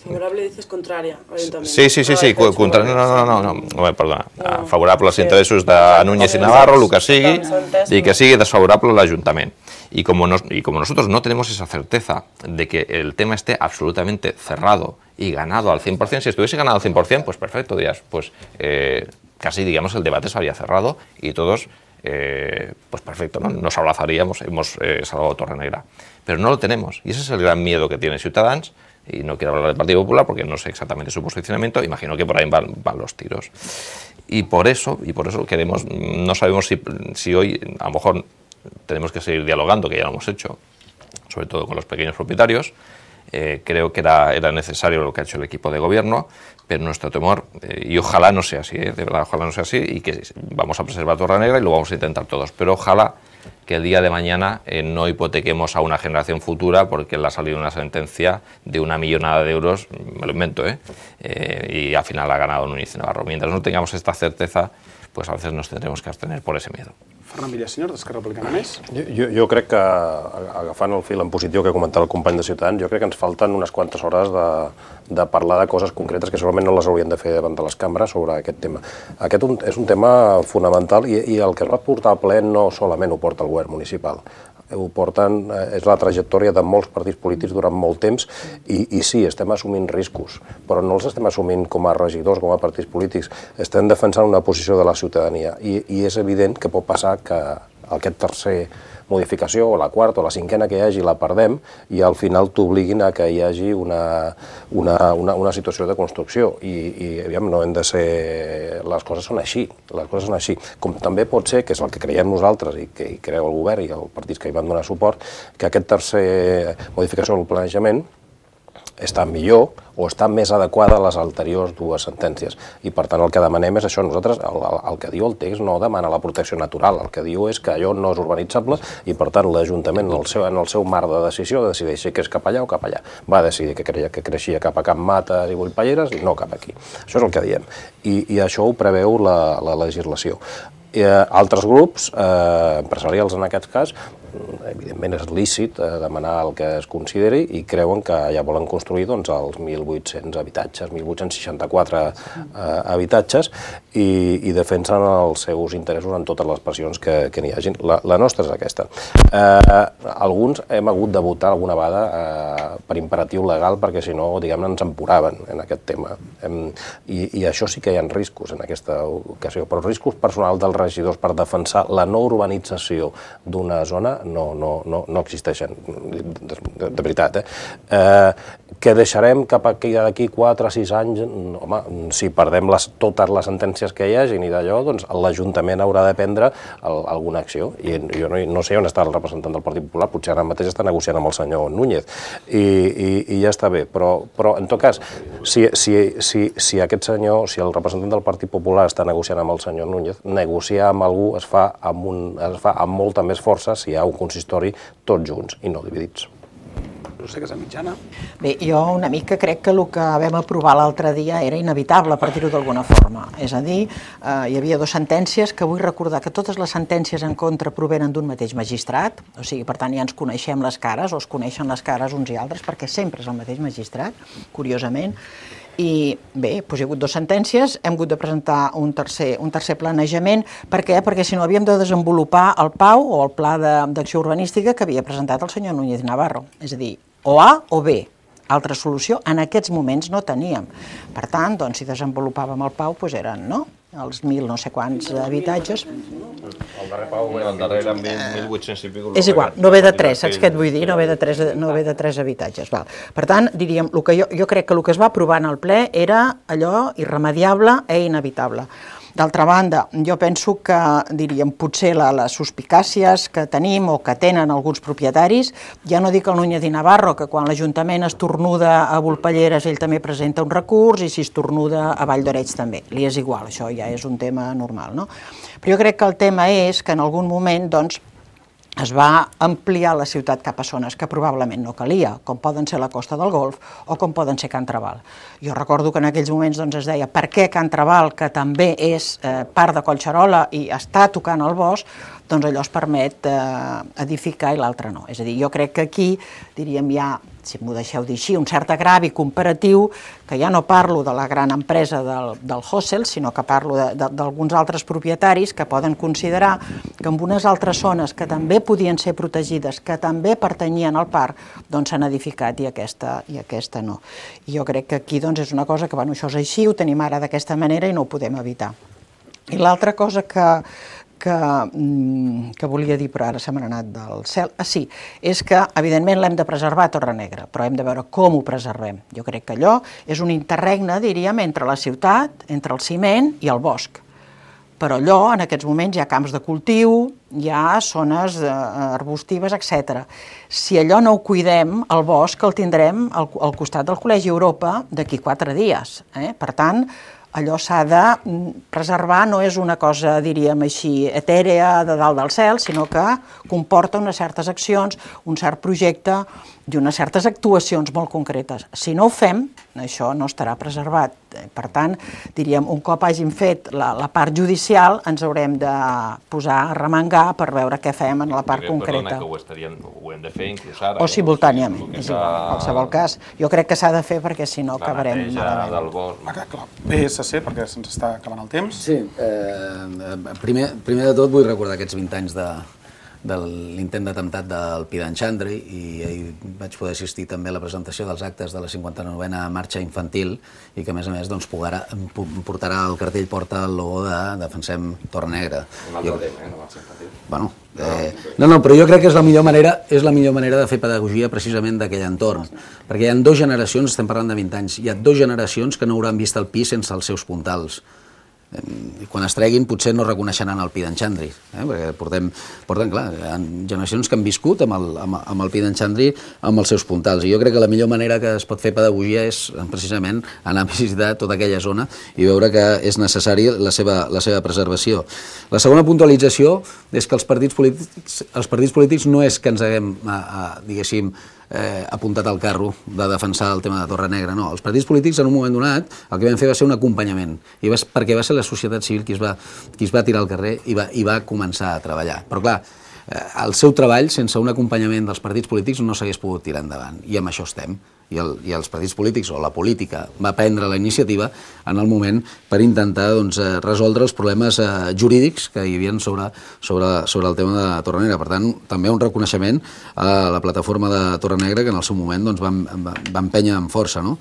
Favorable dices contraria al ayuntamiento. Sí, sí, sí, sí, contra, no, no, no, no, no, perdona, no. Favorable als interessos de Núñez i Navarro, el que sigui, y que sigui desfavorable al ayuntamiento. Y como, nos, y como nosotros no tenemos esa certeza de que el tema esté absolutamente cerrado y ganado al cien por cien, si estuviese ganado al cien por cien, pues perfecto, días, pues eh, casi digamos el debate se habría cerrado y todos, eh, pues perfecto, ¿no? Nos abrazaríamos, hemos eh, salvado Torrenegra. Pero no lo tenemos y ese es el gran miedo que tiene Ciutadans. Y no quiero hablar del Partido Popular porque no sé exactamente su posicionamiento, imagino que por ahí van, van los tiros. Y por eso, y por eso queremos, no sabemos si, si hoy a lo mejor tenemos que seguir dialogando, que ya lo hemos hecho, sobre todo con los pequeños propietarios. Eh, creo que era, era necesario lo que ha hecho el equipo de gobierno, pero nuestro temor, eh, y ojalá no sea así, eh, de verdad, ojalá no sea así, y que vamos a preservar Torrenegra y lo vamos a intentar todos, pero ojalá que el día de mañana eh, no hipotequemos a una generación futura porque le ha salido una sentencia de una millonada de euros, me lo invento, ¿eh? Eh, y al final ha ganado Núñez i Navarro. Mientras no tengamos esta certeza, pues a veces nos tendremos que abstener por ese miedo. Ferran Villaseñor, d'Esquerra Republicana Més. Jo, jo, jo crec que, agafant el fil en positiu que comentava el company de Ciutadans, jo crec que ens falten unes quantes hores de, de parlar de coses concretes que segurament no les haurien de fer davant de les cambres sobre aquest tema. Aquest un, és un tema fonamental i, i el que es va portar al ple no solament ho porta el govern municipal, ho porten, és la trajectòria de molts partits polítics durant molt temps i, i sí, estem assumint riscos, però no els estem assumint com a regidors, com a partits polítics, estem defensant una posició de la ciutadania i, i és evident que pot passar que aquest tercer modificació, o la quarta o la cinquena que hi hagi, la perdem i al final t'obliguin a que hi hagi una, una, una, una situació de construcció i, i aviam, no hem de ser... Les coses són així, les coses són així. Com també pot ser, que és el que creiem nosaltres i que hi creu el govern i els partits que hi van donar suport, que aquest tercer modificació del planejament està millor o està més adequada a les anteriors dues sentències. I per tant el que demanem és això. Nosaltres, el, el que diu el text no demana la protecció natural, el que diu és que allò no és urbanitzable i per tant l'Ajuntament en el seu, en el seu marc de decisió decideix si que és cap allà o cap allà. Va decidir que, creia, que creixia cap a Can Mates i Bullpalleres i no cap aquí. Això és el que diem. I, i això ho preveu la, la legislació. I, eh, altres grups, eh, empresarials en aquest cas, evidentment és lícit eh, demanar el que es consideri i creuen que ja volen construir doncs, els mil vuit-cents habitatges, mil vuit-cents seixanta-quatre eh, habitatges i, i defensen els seus interessos en totes les pressions que, que n'hi hagi. La, la nostra és aquesta. Eh, alguns hem hagut de votar alguna vegada eh, per imperatiu legal perquè si no, diguem-ne, ens empuraven en aquest tema. Hem, i, I això sí que hi ha riscos en aquesta ocasió, però riscos personals dels regidors per defensar la no urbanització d'una zona no, no, no, no existeixen, de, de, de veritat. Eh? Eh, que deixarem cap aquí d'aquí quatre o sis anys, home, si perdem les, totes les sentències que hi hagi i d'allò, doncs l'Ajuntament haurà de prendre el, alguna acció. I jo no, no sé on està el representant del Partit Popular, potser ara mateix està negociant amb el senyor Núñez i, i, i ja està bé, però, però en tot cas, si, si, si, si aquest senyor, si el representant del Partit Popular està negociant amb el senyor Núñez, negociar amb algú es fa amb, un, es fa amb molta més força si hi ha un consistori tots junts i no dividits. Roser Casamitjana. Bé, jo una mica crec que el que vam aprovar l'altre dia era inevitable, per dir-ho d'alguna forma. És a dir, eh, hi havia dues sentències que vull recordar que totes les sentències en contra provenen d'un mateix magistrat, o sigui, per tant ja ens coneixem les cares, o es coneixen les cares uns i altres, perquè sempre és el mateix magistrat, curiosament. I bé, doncs hi ha hagut dues sentències, hem hagut de presentar un tercer, un tercer planejament. Per què? Perquè si no havíem de desenvolupar el P A U o el Pla d'Acció Urbanística que havia presentat el senyor Núñez i Navarro. És a dir, o A o B. Altra solució en aquests moments no teníem. Per tant, doncs, si desenvolupàvem el P A U, doncs eren, no?, els mil no sé quants habitatges. El darrer P A U, el darrer eren mil vuit-cents i pico. És igual, no ve de tres, saps què et vull dir? No ve de tres, no ve de tres habitatges. Val. Per tant, diríem, el que jo, jo crec que el que es va aprovar en el ple era allò irremediable i inevitable. D'altra banda, jo penso que, diríem, potser la, les suspicàcies que tenim o que tenen alguns propietaris, ja no dic el Núñez i Navarro, que quan l'Ajuntament estornuda a Volpelleres ell també presenta un recurs i si estornuda a Vall d'Oreig també, li és igual, això ja és un tema normal, no? Però jo crec que el tema és que en algun moment, doncs, es va ampliar la ciutat cap a zones que probablement no calia, com poden ser la Costa del Golf o com poden ser Can Trabal. Jo recordo que en aquells moments doncs, es deia per què Can Trabal, que també és eh, part de Collserola i està tocant el bosc, doncs allò es permet eh, edificar i l'altre no. És a dir, jo crec que aquí, diríem, hi ha, si m'ho deixeu dir així, un cert agravi comparatiu, que ja no parlo de la gran empresa del, del Hossel, sinó que parlo d'alguns altres propietaris que poden considerar que en unes altres zones que també podien ser protegides, que també pertanyien al parc, doncs s'han edificat i aquesta, i aquesta no. I jo crec que aquí doncs, és una cosa que, bueno, això és així, ho tenim ara d'aquesta manera i no ho podem evitar. I l'altra cosa que, que, que volia dir, però ara se m'ha anat del cel, ah, sí, és que evidentment l'hem de preservar a Torrenegra, però hem de veure com ho preservem. Jo crec que allò és un interregne, diríem, entre la ciutat, entre el ciment i el bosc. Però allò, en aquests moments, hi ha camps de cultiu, hi ha zones arbustives, etcètera. Si allò no ho cuidem, el bosc el tindrem al, al costat del Col·legi Europa d'aquí quatre dies. Eh? Per tant, allò s'ha de preservar, no és una cosa, diríem així, etèrea de dalt del cel, sinó que comporta unes certes accions, un cert projecte i unes certes actuacions molt concretes. Si no ho fem, això no estarà preservat. Per tant, diríem, un cop hàgim fet la, la part judicial, ens haurem de posar a remengar per veure què fem en la part concreta. Perdona, que ho, estaríem, ho hem de fer inclús ara. O simultàniament, és igual, en qualsevol cas. Jo crec que s'ha de fer perquè si no acabarem malament. Del bosc. Ah, clar. P S C, perquè se'ns està acabant el temps. Sí, eh, primer, primer de tot vull recordar aquests vint anys de, de l'intent d'atemptat del Pidan Xandri i ahir vaig poder assistir també a la presentació dels actes de la cinquanta-novena marxa infantil i que a més a més doncs, pogarà, portarà el cartell, porta el logo de Defensem Torrenegra. Un altre tema, eh, la marxa infantil. Bueno, eh, no, no, però jo crec que és la millor manera, és la millor manera de fer pedagogia precisament d'aquell entorn, perquè hi ha dues generacions, estem parlant de vint anys, hi ha dues generacions que no hauran vist el pi sense els seus puntals. I quan es treguin potser no reconeixeran el Pidan Xandri, eh? perquè portem, portem, clar, hi ha generacions que han viscut amb el, amb, amb el Pidan Xandri amb els seus puntals, i jo crec que la millor manera que es pot fer pedagogia és precisament anar a visitar tota aquella zona i veure que és necessari la seva, la seva preservació. La segona puntualització és que els partits polítics, els partits polítics no és que ens haguem, a, a, diguéssim, Eh, apuntat al carro de defensar el tema de Torrenegra, no. Els partits polítics en un moment donat el que vam fer va ser un acompanyament, i va, perquè va ser la societat civil qui es va, qui es va tirar al carrer i va, i va començar a treballar. Però clar, eh, el seu treball sense un acompanyament dels partits polítics no s'hagués pogut tirar endavant, i amb això estem. I, el, i els partits polítics o la política va prendre la iniciativa en el moment per intentar doncs, resoldre els problemes eh, jurídics que hi havia sobre, sobre, sobre el tema de Torrenegra. Per tant, també un reconeixement a la plataforma de Torrenegra que en el seu moment doncs, va, va, va empènyer amb força. No?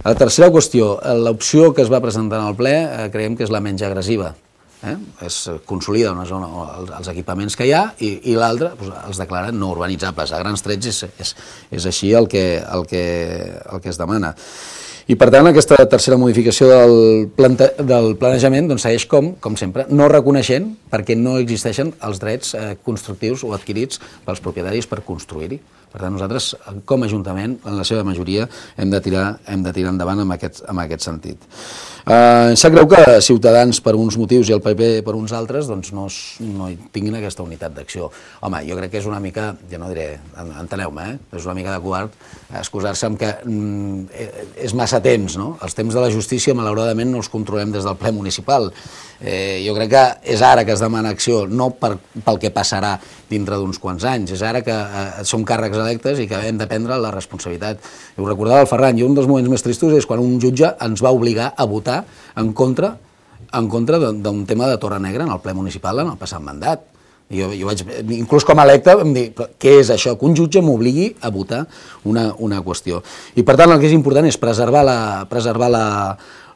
La tercera qüestió, l'opció que es va presentar en el ple eh, creiem que és la menys agressiva. Eh? Es consolida una zona, els equipaments que hi ha i, i l'altre doncs, els declaren no urbanitzables. A grans trets és, és, és així el que, el, que, el que es demana. I per tant aquesta tercera modificació del, plante, del planejament doncs, segueix com, com sempre, no reconeixent perquè no existeixen els drets eh, constructius o adquirits pels propietaris per construir-hi. Per tant, nosaltres, com a Ajuntament, en la seva majoria, hem de tirar, hem de tirar endavant en aquest, en aquest sentit. Eh, em sap greu que Ciutadans, per uns motius, i el P P per uns altres, doncs no, no tinguin aquesta unitat d'acció. Home, jo crec que és una mica, ja no diré, enteneu-me, eh? és una mica de covard excusar-se amb que mm, és massa temps, no? Els temps de la justícia, malauradament, no els controlem des del ple municipal. Eh, jo crec que és ara que es demana acció, no per, pel que passarà dintre d'uns quants anys, és ara que eh, som càrrecs electes i que hem de prendre la responsabilitat. I ho recordava el Ferran, i un dels moments més tristos és quan un jutge ens va obligar a votar en contra, en contra d'un tema de Torrenegra en el ple municipal en el passat mandat. Jo, jo vaig, inclús com a electe, em dir, què és això? Que un jutge m'obligui a votar una, una qüestió. I per tant el que és important és preservar la, preservar la,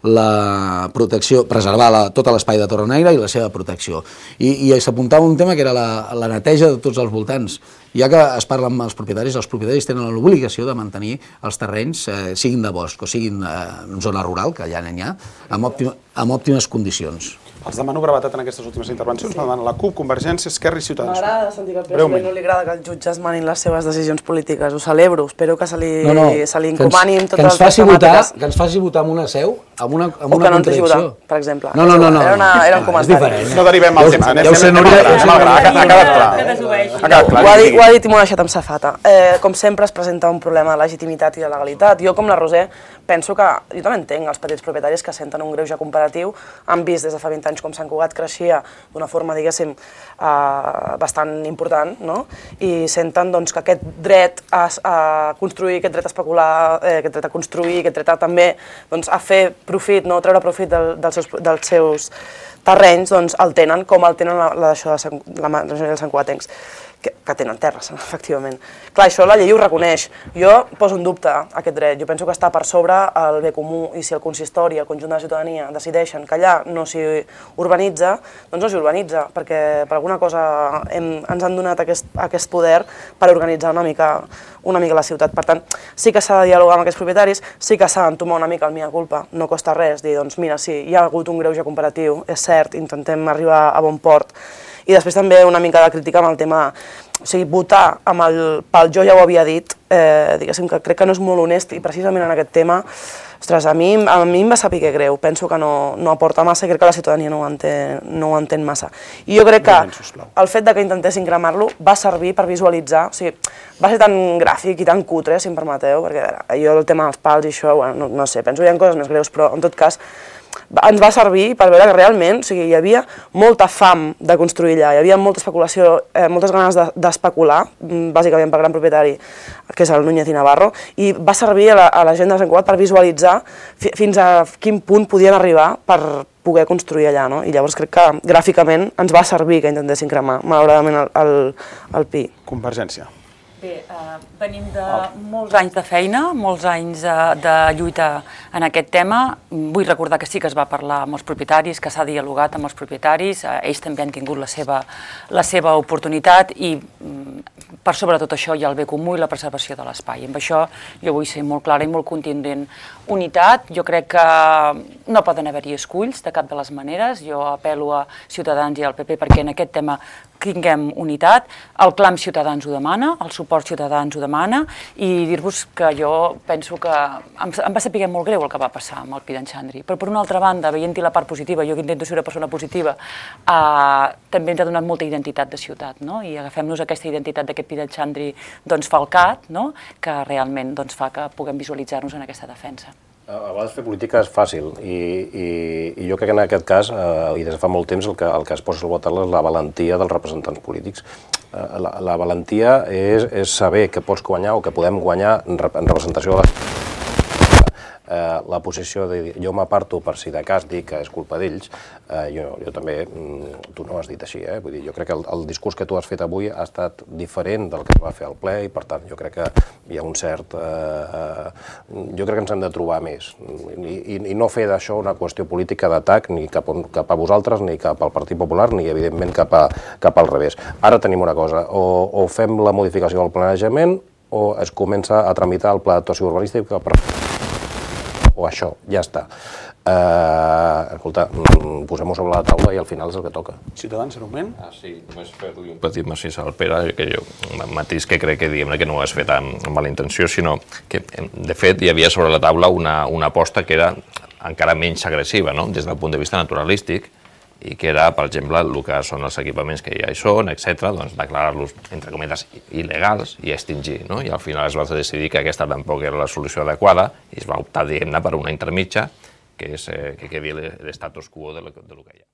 la protecció, preservar la, tot l'espai de Torrenegra i la seva protecció. I, i s'apuntava un tema que era la, la neteja de tots els voltants. Ja que es parla amb els propietaris, els propietaris tenen l'obligació de mantenir els terrenys, eh, siguin de bosc o siguin eh, en zona rural, que allà n'hi ha, amb, òptima, amb òptimes condicions. Els demano brevetat en aquestes últimes intervencions. Demana la CUP, Convergència, Esquerra i Ciutadans. M'agrada sentir que al P S O E no li agrada que els jutges manin les seves decisions polítiques. Ho celebro. Espero que se li, No, no, se li que ens, encomanin que totes ens les faci votar, temàtiques. que ens faci votar amb una seu, amb una, amb O una que no ens deixi votar, contradicció. per exemple. No, no, no, no. Era, una, era un És comentari. diferent. No derivem al tema. Ja anem- ho sé, anem- Núria, anem- ja ho sé, anem- Núria. Ha quedat clar. Que desobeeixi. Ha quedat clar. Ho ha, dit, digui. ho ha dit i m'ho ha deixat amb safata. Eh, com sempre es presenta un problema de legitimitat i de legalitat. Jo, com la Roser, penso que, jo també entenc els petits propietaris que senten un greuge comparatiu, han vist des de fa vint anys com Sant Cugat creixia d'una forma, diguéssim, eh, bastant important, no? I senten doncs, que aquest dret a, a construir, aquest dret a especular, eh, aquest dret a construir, aquest dret a també doncs, a fer profit, no? Treure profit del, dels, seus, dels seus terrenys, doncs el tenen com el tenen la, la, això de Sant, la majoria dels santcugatencs, que, que tenen terres, efectivament. Clar, això la llei ho reconeix. Jo poso en dubte aquest dret. Jo penso que està per sobre el bé comú i si el consistori i el conjunt de la ciutadania decideixen que allà no s'hi urbanitza, doncs no s'hi urbanitza, perquè per alguna cosa hem, ens han donat aquest, aquest poder per organitzar una mica, una mica la ciutat. Per tant, sí que s'ha de dialogar amb aquests propietaris, sí que s'ha d'entomar una mica el mea culpa. No costa res dir, doncs mira, sí, hi ha hagut un greuge comparatiu, és cert, intentem arribar a bon port. I després també una mica de crítica amb el tema, o sigui, votar amb el, pel jo ja ho havia dit, eh, diguéssim que crec que no és molt honest i precisament en aquest tema, ostres, a mi, a mi em va saber greu, penso que no, no aporta massa i crec que la ciutadania no ho entén, no ho entén massa. I jo crec que el fet de que intentessin cremar-lo va servir per visualitzar, o sigui, va ser tan gràfic i tan cutre, si em permeteu, perquè a veure, jo el tema dels pals i això, bueno, no, no sé, penso que hi ha coses més greus, però en tot cas ens va servir per veure que realment, o sigui, hi havia molta fam de construir allà, hi havia molta especulació, eh, moltes ganes d'especular, de, bàsicament pel gran propietari, que és el Núñez i Navarro, i va servir a la, a la gent de Sant Cugat per visualitzar fi, fins a quin punt podien arribar per poder construir allà, no? I llavors crec que gràficament ens va servir que intentessin cremar, malauradament, el, el, el Pi. Convergència. Bé, eh, venim de molts anys de feina, molts anys de, de lluita en aquest tema. Vull recordar que sí que es va parlar amb els propietaris, que s'ha dialogat amb els propietaris, eh, ells també han tingut la seva, la seva oportunitat i per sobre tot això hi ha el bé comú i la preservació de l'espai. Amb això jo vull ser molt clara i molt contundent. Unitat, jo crec que no poden haver-hi esculls de cap de les maneres. Jo apel·lo a Ciutadans i al P P perquè en aquest tema tinguem unitat. El clam Ciutadans ho demana, el suport Ciutadans ho demana i dir-vos que jo penso que em, em va saber molt greu el que va passar amb el Pi d'en Xandri. Però per una altra banda, veient-hi la part positiva, jo que intento ser una persona positiva, eh, també ens ha donat molta identitat de ciutat, no? I agafem-nos aquesta identitat d'aquest Pi d'en Xandri doncs, falcat, no? Que realment doncs, fa que puguem visualitzar-nos en aquesta defensa. A vegades fer política és fàcil i, i, i jo crec que en aquest cas, eh, i des de fa molt temps, el que, el que es posa al botal és la valentia dels representants polítics. Eh, la, la valentia és, és saber que pots guanyar o que podem guanyar en, rep en representació de la eh, la posició de dir, jo m'aparto per si de cas dir que és culpa d'ells, eh, jo, jo també, tu no ho has dit així, eh? Vull dir, jo crec que el, el discurs que tu has fet avui ha estat diferent del que es va fer al ple i per tant jo crec que hi ha un cert... Eh, eh, jo crec que ens hem de trobar més i, i, i no fer d'això una qüestió política d'atac ni cap, on, cap a vosaltres ni cap al Partit Popular ni evidentment cap, a, cap al revés. Ara tenim una cosa, o, o fem la modificació del planejament o es comença a tramitar el pla d'actuació urbanístic per... o això, ja està. Uh, escolta, posem-ho sobre la taula i al final és el que toca. Ciutadans, en un moment? Ah, sí, només fer-li un petit macís al Pere, que jo, un matís que crec que diguem que no ho has fet amb mala intenció, sinó que, de fet, hi havia sobre la taula una, una aposta que era encara menys agressiva, no?, des del punt de vista naturalístic, i que era, per exemple, el que són els equipaments que ja hi són, etcètera, doncs declarar-los, entre cometes, il·legals i extingir, no? I al final es va decidir que aquesta tampoc era la solució adequada i es va optar, diguem-ne, per una intermitja, que és eh, que quedi l'estatus quo de lo, de lo que hi ha.